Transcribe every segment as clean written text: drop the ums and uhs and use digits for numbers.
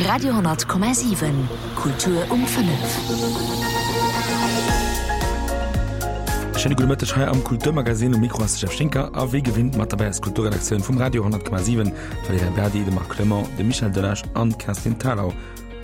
Radio,7 Kultur um 5. Schéine gudde Mëtteg hei am Kulturmagazin. Um Mikro ass de Jeff Schinker a wéi gewinnt mat derbäi ass d'Kulturredaktioun vum Radio 10,7, d'Valerija Berdi, de Marc Clement, de Michel Delage an d'Kerstin Thalau.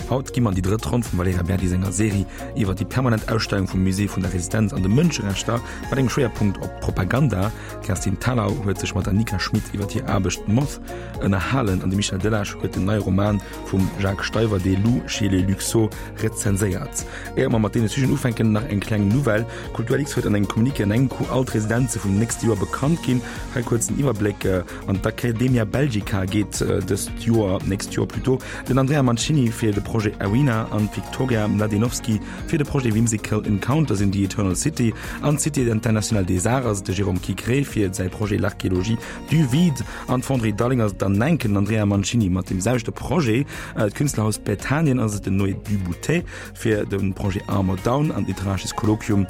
Haut gi mer an déi drëtt Ronn vum Valerija Berdi senger Serie iwwer déi permanent Ausstellung vum Musée vun der Resistenz an de Mënscherechter mat engem Schwéierpunkt op Propaganda. D'Kerstin Thalau huet sech mat der Nika Schmit iwwer hir Aarbecht Moth ënnerhalen an de Michel Delage huet den neie Roman vum Jacques Steiwer Des loups chez les Luxo rezenséiert. Éier mer mat deene Sujeten ufänken, nach eng kleng Nouvelle, Kulturlux huet an engem Communiqué an engem Coup all d'Residenze vum nächste Joer bekannt ginn. Hei kuerz den Iwwerbléck, An d'Accademia Belgica geet dëst Joer, nächst Joer plutôt, den Andrea Mancini fir de Projet Arena an d'Viktoria Mladenovski fir de Projet Whimsical Encounters in the Eternal City. An d'Cité Internationale des Arts ass et de Jérôme Quigré fir säi Projet L'archéologie du vide. An d'Fonderie Dalling ass et dann enken den Andrea Mancini mat deem selwechte Projet. D'Künstlerhaus Bethanien ass et den Noé Duboutet fir de Projet Armor Down. An d'Literarisches Kolloquium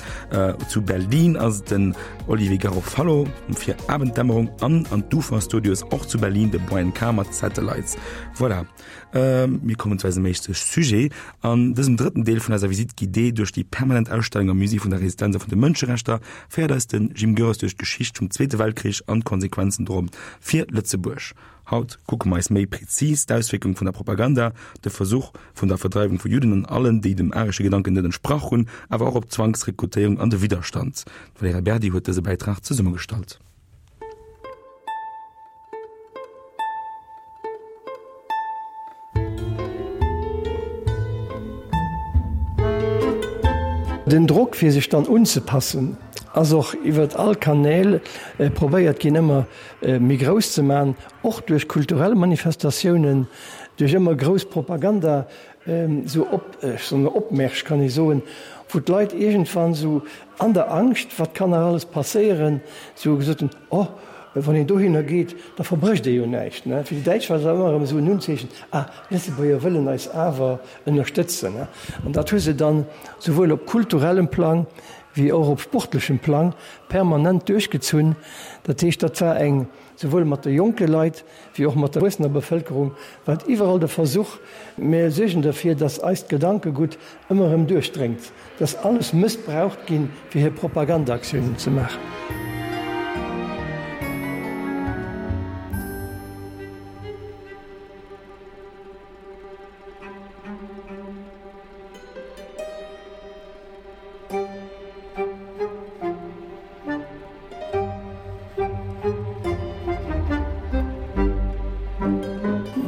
zu Berlin ass et den Olivier Garofalo fir Abenddämmerung an an d'Ufer Studios och zu Berlin de Brian Carr mat Satellites. Voilà, mir kommen zu eisem éischte Sujet. An dësem drëtten Deel vun eiser Visite guidée duerch déi permanent Ausstellung am Musée vun der Resistenz a vun de Mënscherechter féiert eis de Jim Goeres duerch d'Geschicht vum Zweete Weltkrich an d'Konsequenzen dorop fir Lëtzebuerg. Haut kucke mer eis méi prezis d'Auswierkung vun der Propaganda, de Versuch vun der Verdreiwung vu Judden an allen, déi dem aresche Gedanken net entsprach hunn, awer och op d'Zwangsrekrutéierung an de Widderstand. D'Valerija Berdi huet dëse Bäitrag zesummegestallt. Den Drock fir sech dann unzepassen ass och iwwert all Kanäl probéiert ginn ëmmer méi grouss ze man, och duerch kulturell Manifestatiounen, duerch ëmmer grouss Propaganda, esou op, ech soen Opmärsch kann ee soen, wou d'Leit iergendwann esou an der Angscht, wat kann nach alles passéieren, esou gesot hunn, oh, wann een dohinner geet, da verbrécht ee jo näischt. Fir déi Däitsch war dat ëmmer erëm esou en Unzeechen, ah, d'Lëtzebuerger wëllen eis awer ënnerstëtzen. An dat hu se dann souwuel op kulturellem Plang wéi och op sportlechem Plang permanent duerchgezunn. Dat heescht, dat war eng, souwuel mat de jonke Leit wéi och mat der erwuessener Bevëlkerung, war et iwwerall de Versuch, mir suergen derfir, dass eist Gedankegutt ëmmer erëm duerchdréngt, dass alles mëssbraucht ginn, fir hir Propagandaaktiounen ze maachen.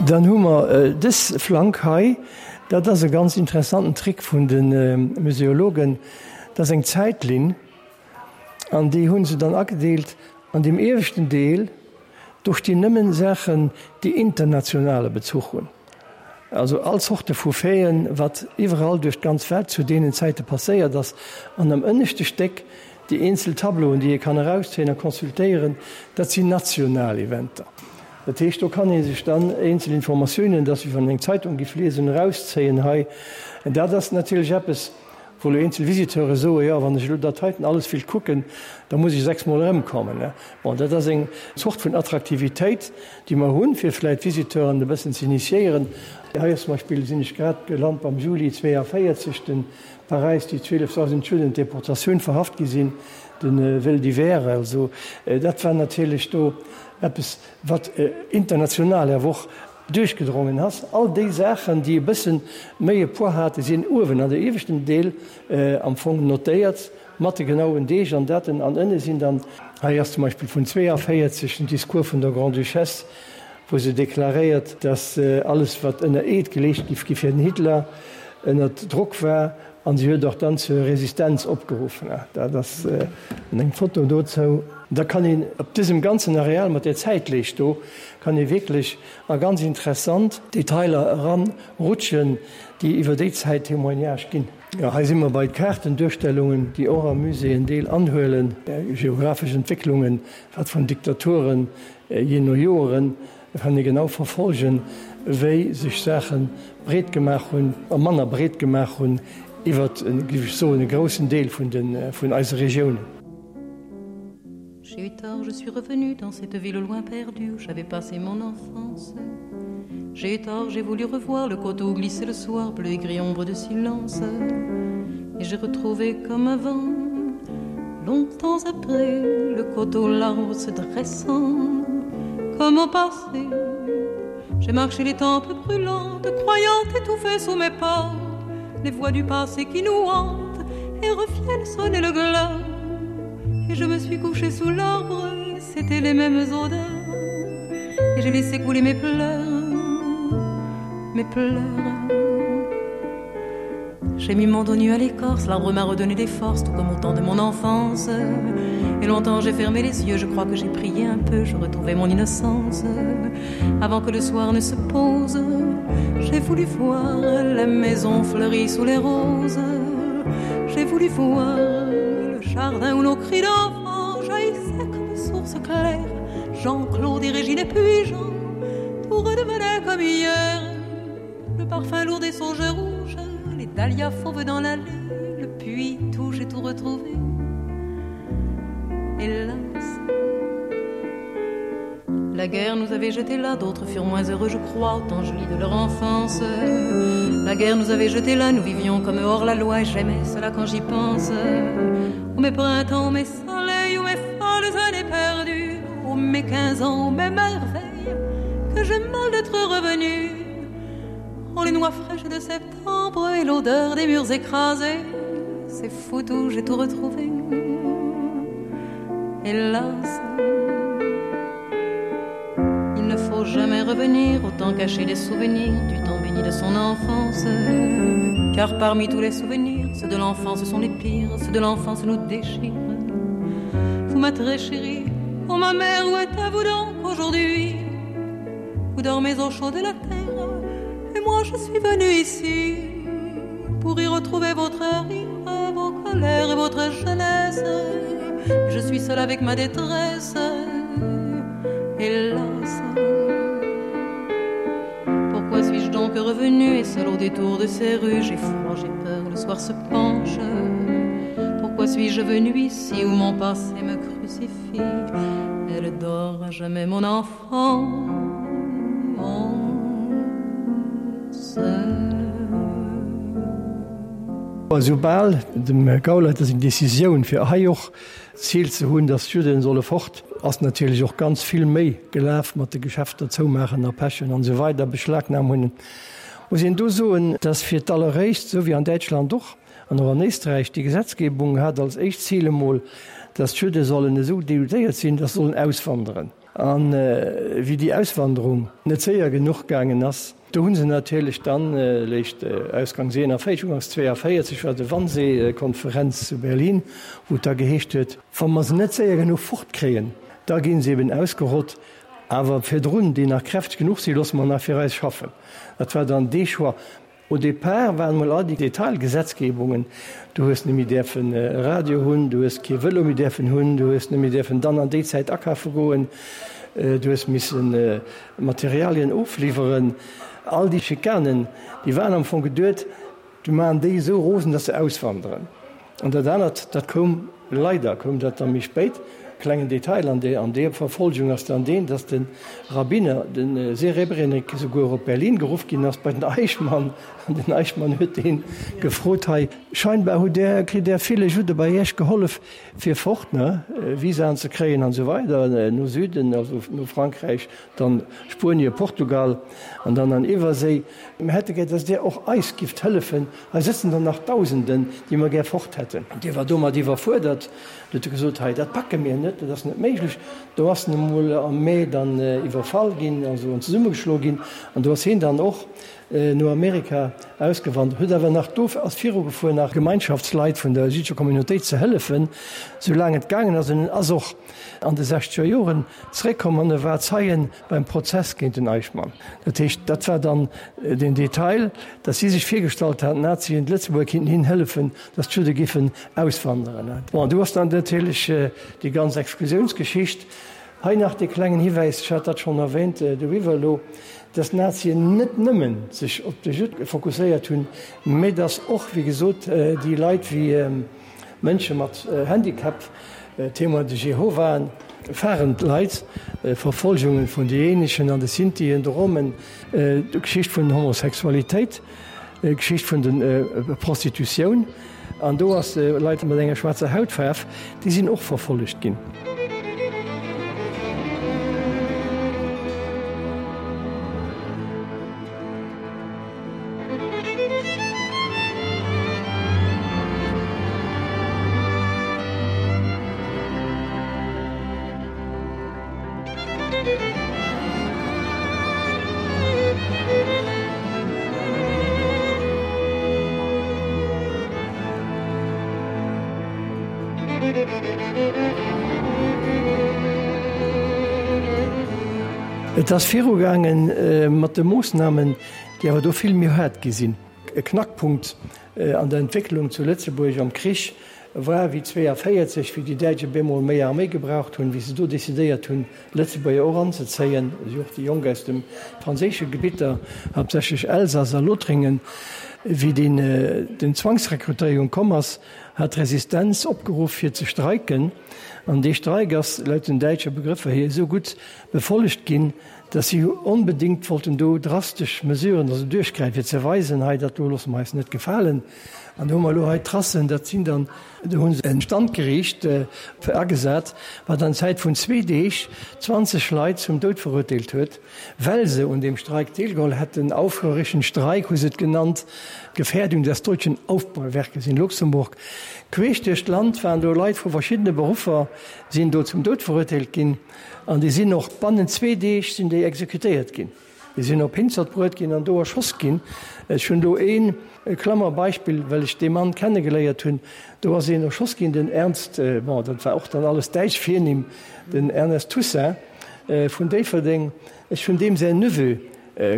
Dann hu mer dës Flank hei. Dat ass e ganz interessanten Trick vun de Museologen. Dat ass eng Zäitlinn an déi hu se dann agedeelt an deem ieweschten Deel, do stinn nëmmen Saachen, déi internationale Bezuch hunn. Also all Zorte vu Faiten, wat iwwerall duerch d'ganz Welt zu deenen Zäite passéiert ass. An am ënneschte Stéck déi eenzel Tableauen, déi ee kann erauszéien a consultéieren, dat sinn national Eventer. Dat heescht, do kann ee sech dann eenzel Informatiounen, dat ass wéi wann een eng Zeitung giff liesen, erauszéien hei. Dat ass natierlech eppes, Wou elo eenzel Visiteure soen, jo, wann ech elo dat heiten alles wéilt kucken, da muss ech sechsmol erëmkommen. Bon, dat ass eng Zort vun Attraktivitéit, déi mer hunn, fir vläicht d'Visiteuren e bëssen ze initiéieren. Hei ass zum Beispill, sinn ech grad gelant beim Juli 42, den Paräis, déi 12.000 Judden, Deportatioun, verhaft gi sinn, de Vol d'hiver. Also dat war natierlech do eppes, wat international awer och duerchgedrongen ass. All déi Saachen, déi e bësse méi e Poids haten, sinn uewen an der ieweschten Deel am Fong notéiert, mat de genauen Deeg an Daten. An ënne sinn dann, hei ass zum Beispill vun 42 den Discours vun der Grande-Duchesse, wou se deklaréiert, dass alles, wat ënner Eed geleescht giff gi fir den Hitler, ënner Drock war. An si huet och dann zur Resistenz opgeruffen. Dat ass eng Foto dozou. Da kann een op dësem ganzen Areal mat där Zäitleescht do, kann ee wierklech a ganz interessant Detailer eran rutschen, déi iwwer déi Zäit Témoignage ginn. Jo, hei si mer bei Kaartenduerstellungen, déi och am Musée en Deel anhuelen, geographesch Entwécklungen, wat vun Diktaturen, jee no Joeren, Da kann ee genau verfolgen, wéi sech Saache breet gemaach hunn a manner breet gemaach hunn iwwer, géif ech soen, e groussen Deel vun eise Regiounen. J'ai eu tort, je suis revenu dans cette ville au loin perdue où j'avais passé mon enfance. J'ai tort, j'ai voulu revoir le coteau glisser le soir bleu et gris ombre de silence et j'ai retrouvé comme avant longtemps après le coteau l'arbre se dressant comme au passé j'ai marché les tempes brûlantes croyant étouffer sous mes pas les voix du passé qui nous hantent et reviennent sonner le glas et je me suis couché sous l'arbre c'était les mêmes odeurs et j'ai laissé couler mes pleurs mes pleurs J'ai mis mon dos nu à l'écorce, l'arbre m'a redonné des forces, tout comme au temps de mon enfance. Et longtemps j'ai fermé les yeux, je crois que j'ai prié un peu, je retrouvais mon innocence. Avant que le soir ne se pose, j'ai voulu voir la maison fleurie sous les roses. J'ai voulu voir le jardin où nos cris d'enfant jaillissaient comme source claire. Jean-Claude et Régine et puis Jean, tout redevenait comme hier. Le parfum lourd des songes rouges, les dahlias fauves dans l'allée, le puits tout j'ai tout retrouvé. Hélas, la guerre nous avait jeté là, d'autres furent moins heureux, je crois, autant je lis de leur enfance. La guerre nous avait jeté là, nous vivions comme hors la loi, et j'aimais cela quand j'y pense. Ô mes printemps, mes soleils, ô mes folles années perdues, ô mes quinze ans, ô mes merveilles, que j'ai mal d'être revenu. Oh les noix fraîches de septembre et l'odeur des murs écrasés, c'est fou tout, j'ai tout retrouvé. Hélas, il ne faut jamais revenir autant cacher les souvenirs du temps béni de son enfance. Car parmi tous les souvenirs, ceux de l'enfance sont les pires, ceux de l'enfance nous déchirent. Vous ma très chérie, oh ma mère, où êtes-vous donc aujourd'hui? Vous dormez au chaud de la terre, et moi je suis venue ici pour y retrouver votre rire, vos colères et votre jeunesse. Je suis seule avec ma détresse, hélas. Pourquoi suis-je donc revenu et seul au détour de ces rues J'ai froid, j'ai peur, le soir se penche. Pourquoi suis-je venu ici où mon passé me crucifie Elle dort à jamais mon enfant. Esoubal dem Gauleiter seng Decisioun, fir hei och d'Zil ze hunn, datt d'Judden solle fort, ass natierlech och ganz vill méi gelaf mat de Geschäfter zoumaachen a pechen an esou weider, Beschlagnam hunn. Muss een do soen, datt fir d'alleréischt, esou wéi an Däitschland och an och an Éisträich, déi Gesetzgebung hat als éischt Zil emol, datt d'Judde sollen esou degoûtéiert sinn, datt se sollen auswanderen. A wéi déi Auswanderung net séier genuch gaangen ass, do hu se natierlech dann léischt ausgangs 41, ugangs 42 war de Wannsee-Konferenz zu Berlin, wou et da geheescht huet, wa mer se net séier genuch fortkréien, da gi se eben ausgerott, awer virdrun, déi nach kräfteg genuch sinn, loosse mer nach fir eis schaffen. Dat war dann dee Choix. Au départ waren mol all déi Detailgesetzgebungen, du hues net méi däerfen e Radio hunn, du hues kee Vëlo méi däerfen hunn, du hues net méi däerfen dann an déi Zäit akafe goen, du hues misse Materialien ofliwweren. All déi Schikanen, déi waren am Fong geduet, du maachen déi esou rosen, datt se auswanderen. An dat anert, dat koum, leider koum dat da méi spéit, klengen Detail an där, an där Verfolgung ass dann deen, dass de Rabbiner, de Serebrenik, souguer op Berlin geruff ginn ass bei den Eichmann, an den Eichmann huet dee gefrot, hei, scheinbar hutt Där, kritt Där ville Judde bei Iech gehollef fir fort, ne, Visaen ze kréien an esou weider, no Süden, also no Frankräich, dann Spuenie, Portugal an dann an Iwwerséi. Mir hätte gär, dass Dir och eis gifft hëllefen. Hei sëtzen der nach Dausenden, déi mer gär fort hätten. Dee war domat iwwerfuerdert. Du huet e gesot, Hei, dat packe mir net, dat ass net méiglech. Do ass en emol am Mee dann iwwerfall ginn, also an zesummegeschloe ginn. An do ass hien dann och no Amerika ausgewandert, huet awer nach do, ass virugefuer, nach Gemeinschaftsleit vun der jüddescher Communautéit ze hëllefen, soulaang et gaangen ass. En ass och an de sechzeger Joren zeréckkomm an e war Zeien beim Prozess géint den Eichmann. Dat heescht, dat war dann den Detail, datt si sech virgestallt haten, d'Nazien, d'Lëtzebuerger kinnten hinnen hëllefen, datt d'Judde giffen auswanderen. Bon, du ass dann natierlech déi ganz Exklusiounsgeschicht. Hei nach dee klengen Hiwäis, ech hat dat schonn erwähnt doriwwer elo, datt d'Nazien net nëmmen sech op de Judd fokusséiert hunn, mä datt och, wéi gesot, déi Leit wéi Mënsche mat Handicap, Témoins de Jéhovaen. waren d'Leit, Verfolgungen vun de Jeneschen an de Sintien, de Romen, d'Geschicht vun Homosexualitéit, d'Geschicht vun de Prostitutioun. An do ass Leit mat enger schwaarzer Hautfaarf, déi sinn och verfollegt ginn. Et ass virugaange mat de Moossnamen, déi awer do vill méi haart gi sinn. E Knackpunkt an der Entwécklung zu Lëtzebuerg am Krich war wéi 42, wéi déi Däitsch op eemol méi Arméi gebraucht hunn, wéi se do decidéiert hunn, Lëtzebuerger och anzezéien, esou och déi Jonk aus de franséische Gebitter, haaptsächlech Elsass a Lothringen. Wéi den Zwangsrekrutéierung komm ass, hat d'Resistenz opgeruff fir ze streiken, an dee Streik ass laut den däitsche Begrëffer hier esou gutt befollegt ginn, datt si onbedéngt wollten do drastesch Mesuren also duerchgräifen, fir ze weisen, hei dat do loosse mer eis net gefalen. An do hu mer elo hei d'Tracen, dat sinn dann, do hu se e Standgeriicht agesat, wat an Zäit vun zwee Deeg 20 Leit zum Doud verurteelt huet, well se un deem Streik deelgeholl hätten, aufrührerischen Streik hu se et genannt, Gefährdung des deutschen Aufbauwerkes in Luxemburg. Queesch duerch d'Land waren do Leit vu verschiddene Beruffer, sinn do zum Doud verurteelt ginn. An déi sinn och bannent zwee Deeg sinn déi exekutéiert ginn. Déi sinn op Hinzert bruet ginn an do erschoss ginn. Ech hunn do ee Klammer Beispill, well ech dee Mann kennegeléiert hunn. Do ass een erschoss ginn, den Ernst, bon, dat war och dann alles däitsch Virnimm, den Ernest Toussaint vun Déifferdeng. Ech hunn deem säin Neveu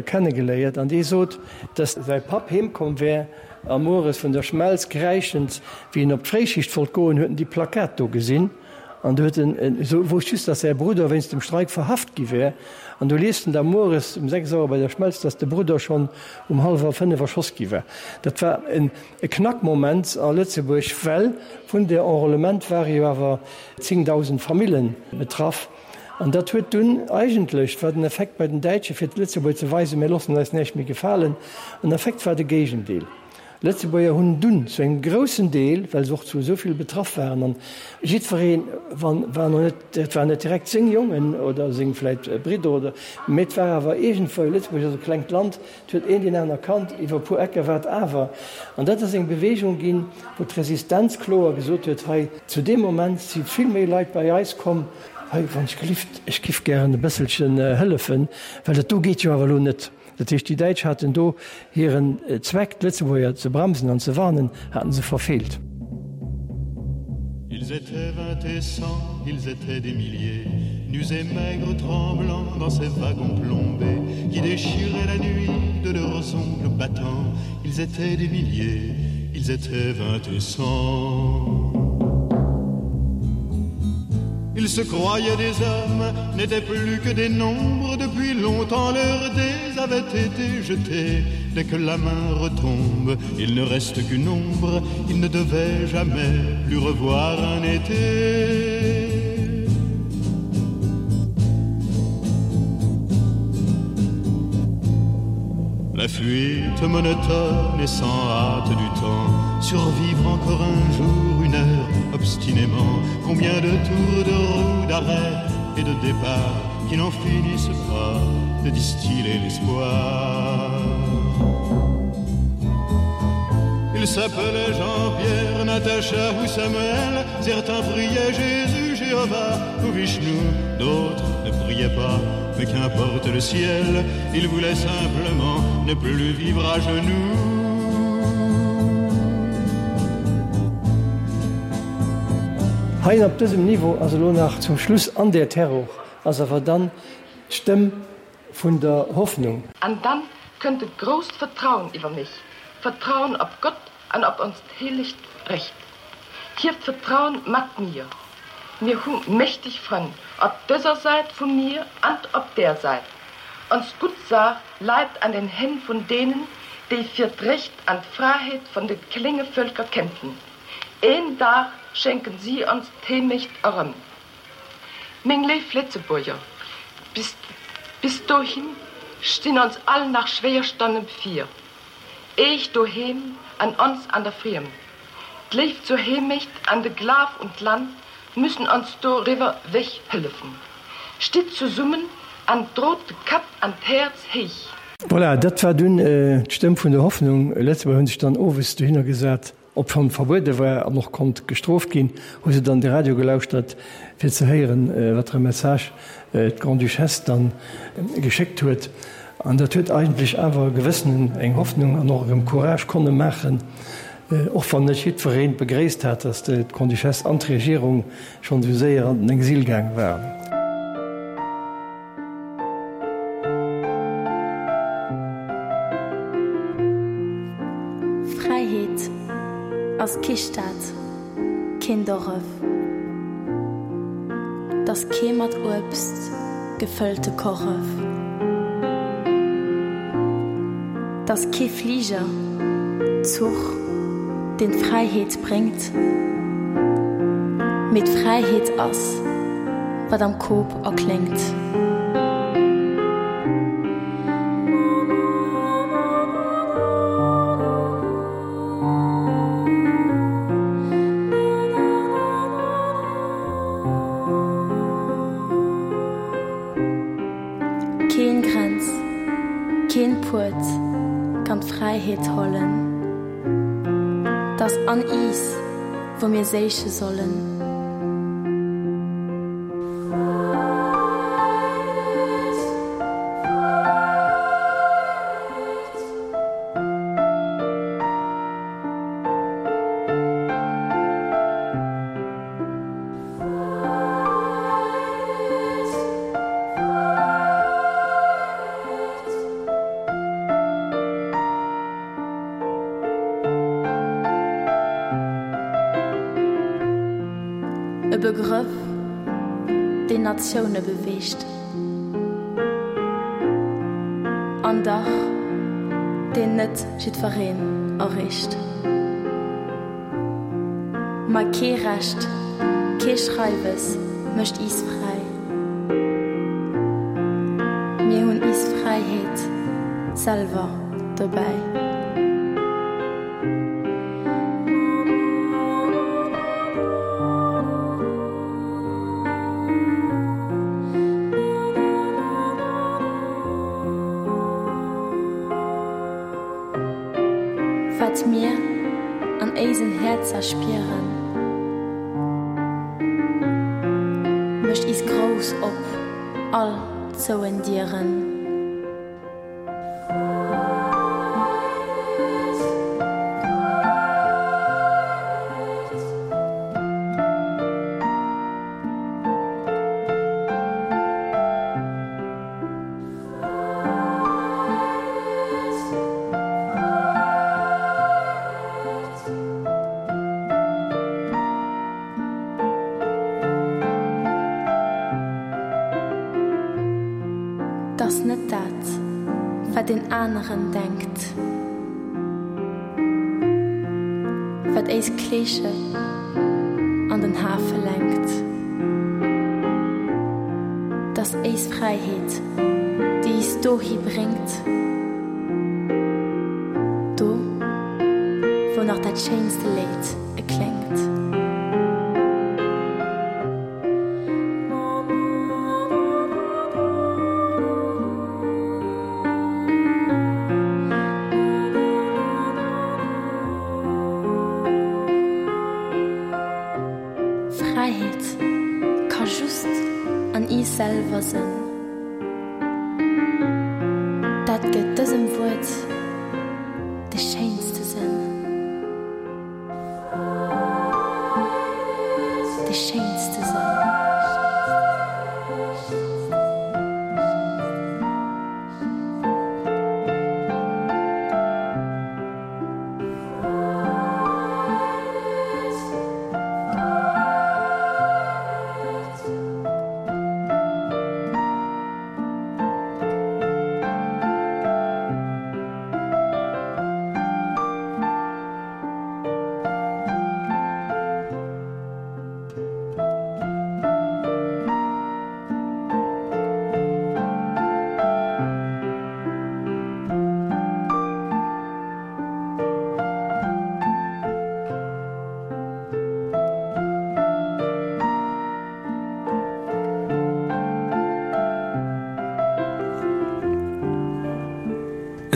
kennegeléiert an dee sot, dass säi Papp heemkomm wär a mueres vun der Schmelz kräischend, wéi en op d'Fréischicht wollt goen, huet en déi Plakat do gesinn. An du huet en esou wousst just, datt säi Brudder wéinst dem Streik verhaft gi wär. An du liest en da mueres um 6 Auer bei der Schmelz, datt de Brudder schonn um hallwer 5 erschoss gi war. Dat war en e Knackmoment a Lëtzebuerg, well vun der Enrôlement ware jo awer 10.000 Famillen betraff. An dat huet dunn eigentlech, war den Effekt bei den Däitsche fir d'Lëtzebuerger ze weisen, mir loossen eis näischt méi gefalen, en Effekt war de Géigendeel. Lëtzebuerger hunn dunn zu engem groussen Deel, well se och zu esou vill betraff waren, an jiddweree wann war noch net, dat waren net direkt seng Jongen oder seng vläit Bridder oder, mee et war awer iergendwou, Lëtzebuerg ass e klengt Land, et huet een deen aner kannt, iwwer e puer Ecker war et awer. An dat ass eng Bewegung ginn, wou d'Resistenz kloer gesot huet, hei zu deem Moment si vill méi Leit bei eis komm, hei wann ech gelift, ech giff gären e bësselchen hëllefen, well dat do geet jo awer elo net. Dat heescht, déi Däitsch haten do hiren Zweck, d'Lëtzebuerger ze bremsen an ze warnen, haten se verfeelt. Ils étaient vingt et cent, ils étaient des milliers, nus et maigres tremblants dans ces wagons plombés qui déchiraient la nuit de leurs ongles battants. Ils étaient des milliers, ils étaient vingt et cent. Ils se croyaient des hommes, n'étaient plus que des nombres depuis longtemps leurs dés avaient été jetés. Dès que la main retombe, il ne reste qu'une ombre, ils ne devaient jamais plus revoir un été. La fuite monotone et sans hâte du temps, survivre encore un jour, une heure obstinément, combien de tours de roue d'arrêt et de départ qui n'en finissent pas de distiller l'espoir. Il s'appelait Jean-Pierre, Natacha ou Samuel, certains priaient Jésus, Jéhovah ou Vishnu, d'autres ne priaient pas, mais qu'importe le ciel, ils voulaient simplement ne plus vivre à genoux. Hei op dësem Niveau ass elo nach zum Schluss an der Terror ass awer dann d'Stëmm vun der Hoffnung. An dann kënnt et grousst Vertrauen iwwer mech, Vertrauen op Gott an op onst heelegt Recht. Hieft Vertrauen mat mir. Mir hu mächteg Frënn op dëser Säit vum Mier an op där Säit. Ons gutt Saach leit an den Hänn vun deenen, déi fir d'Recht an d'Fräiheet vun de klénge Meng léif Lëtzebuerger, bis, bis dohin stinn ons all nach schwéier Stonne bevir. Eech doheem an ons an der Friemd. D'Léift zur Heemecht an de Glaf un d'Land müssen ons doriwwer wech hëllefen. Stitt zesummen an drot de Kapp an d'Häerz héich. Voilà, dat war dunn d'Stëmm vun der Hoffnung. Lëtzebuerger hunn sech dann owes dohinner gesat, obschonn verbuede war an och konnt gestrooft ginn, hu se dann de Radio gelauschtert, fir ze héieren, wat fir e Message d'Grande-Duchesse dann geschéckt huet. An dat huet eigentlech awer e gewëssenen eng Hoffnung an och erëm Courage konne maachen, och wann net jiddwereen begréisst hat, datt d'Grande-Duchesse an d'Regierung schonn esou séier an den Exil gaang waren. Fräiheet ass kee Stad, keen Doref, 't ass kee mat Uebst gefëllte Korref, 't ass kee Fliger, Zuch, deen d'Fräiheet bréngt, mee d'Fräiheet ass, wat am Kop erkléngt. Keen Grenz, keen Puert kann d'Fräiheet hollen, 't ass an iis, wou mir séiche sollen. E Begrëff, deen Natioune beweegt. An dach deen net jiddwereen erreecht. Ma kee Recht, kee Schreiwes mécht iis fräi. Mir hunn iis Fräiheet selwer dobäi. Wat mir an éisen Häerzer spieren, mécht is grouss op all zouen Dieren. 't ass net dat, wat een aneren denkt, wat éis Kleesche an den Hafe lenkt. 't ass éis Fräiheet, déi is dohi bréngt, do, wou nach dat schéinste Léid ekléngt. Fräiheet ka just an iis selwer sënn. Dat gëtt dësem Wuert de schéinste Sënn. De schéinste Sënn.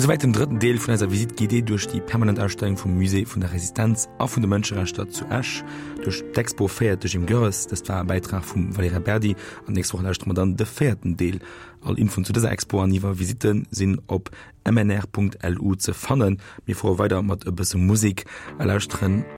Esouwäit den drëtten Deel vun eiser Visite guidée duerch déi permanent Ausstellung vum Musée vun der Resistenz a vun de Mënscherechter zu Esch, duerch d'Expo Féiert de Jim Goerres. Dëst war e Bäitrag vum Valerija Berdi an d'nächst Woch lauschtere mer dann de véierten Deel. All Infoen zu dëser Expo an iwwer Visitte sinn op mnr.lu ze fannen. Mir fuere weider mat e bësse Musek a lauschteren.